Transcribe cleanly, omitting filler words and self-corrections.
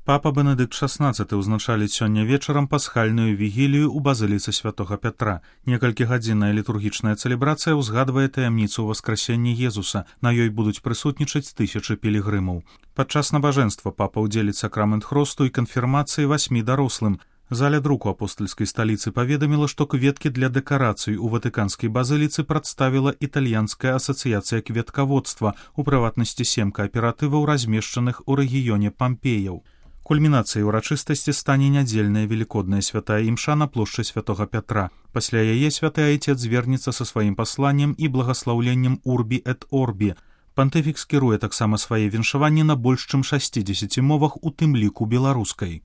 Папа Бенедыкт XVI ўзначаліць сёння вечарам пасхальную вігілію ў базыліцы святога Пятра. Некалькігадзінная літургічная цэлебрацыя ўзгадвае таямніцу ўваскрасення Езуса. На ёй будуць прысутнічаць тысячы пілігрымаў. Падчас набажэнства папа ўдзеліць сакрамент хросту і канфірмацыі 8 дарослым. Заля друку апостальскай сталіцы паведаміла, што кветкі для дэкарацый у ватыканскай базыліцы прадставіла італьянская асацыяцыя кветкаводства, у прыватнасці 7 кааператываў, размешчаных у рэгіёне Пампеяў. Кульмінацыяй урачыстасці стане нядзельная велікодная святая імша на плошчы святога Пятра. Пасля яе святы айцец звернецца са сваім пасланнем і благаслаўленнем «Урбі эт Орбі». Пантыфік скіруе таксама свае віншаванні на больш чым 60 мовах, у тым ліку беларускай.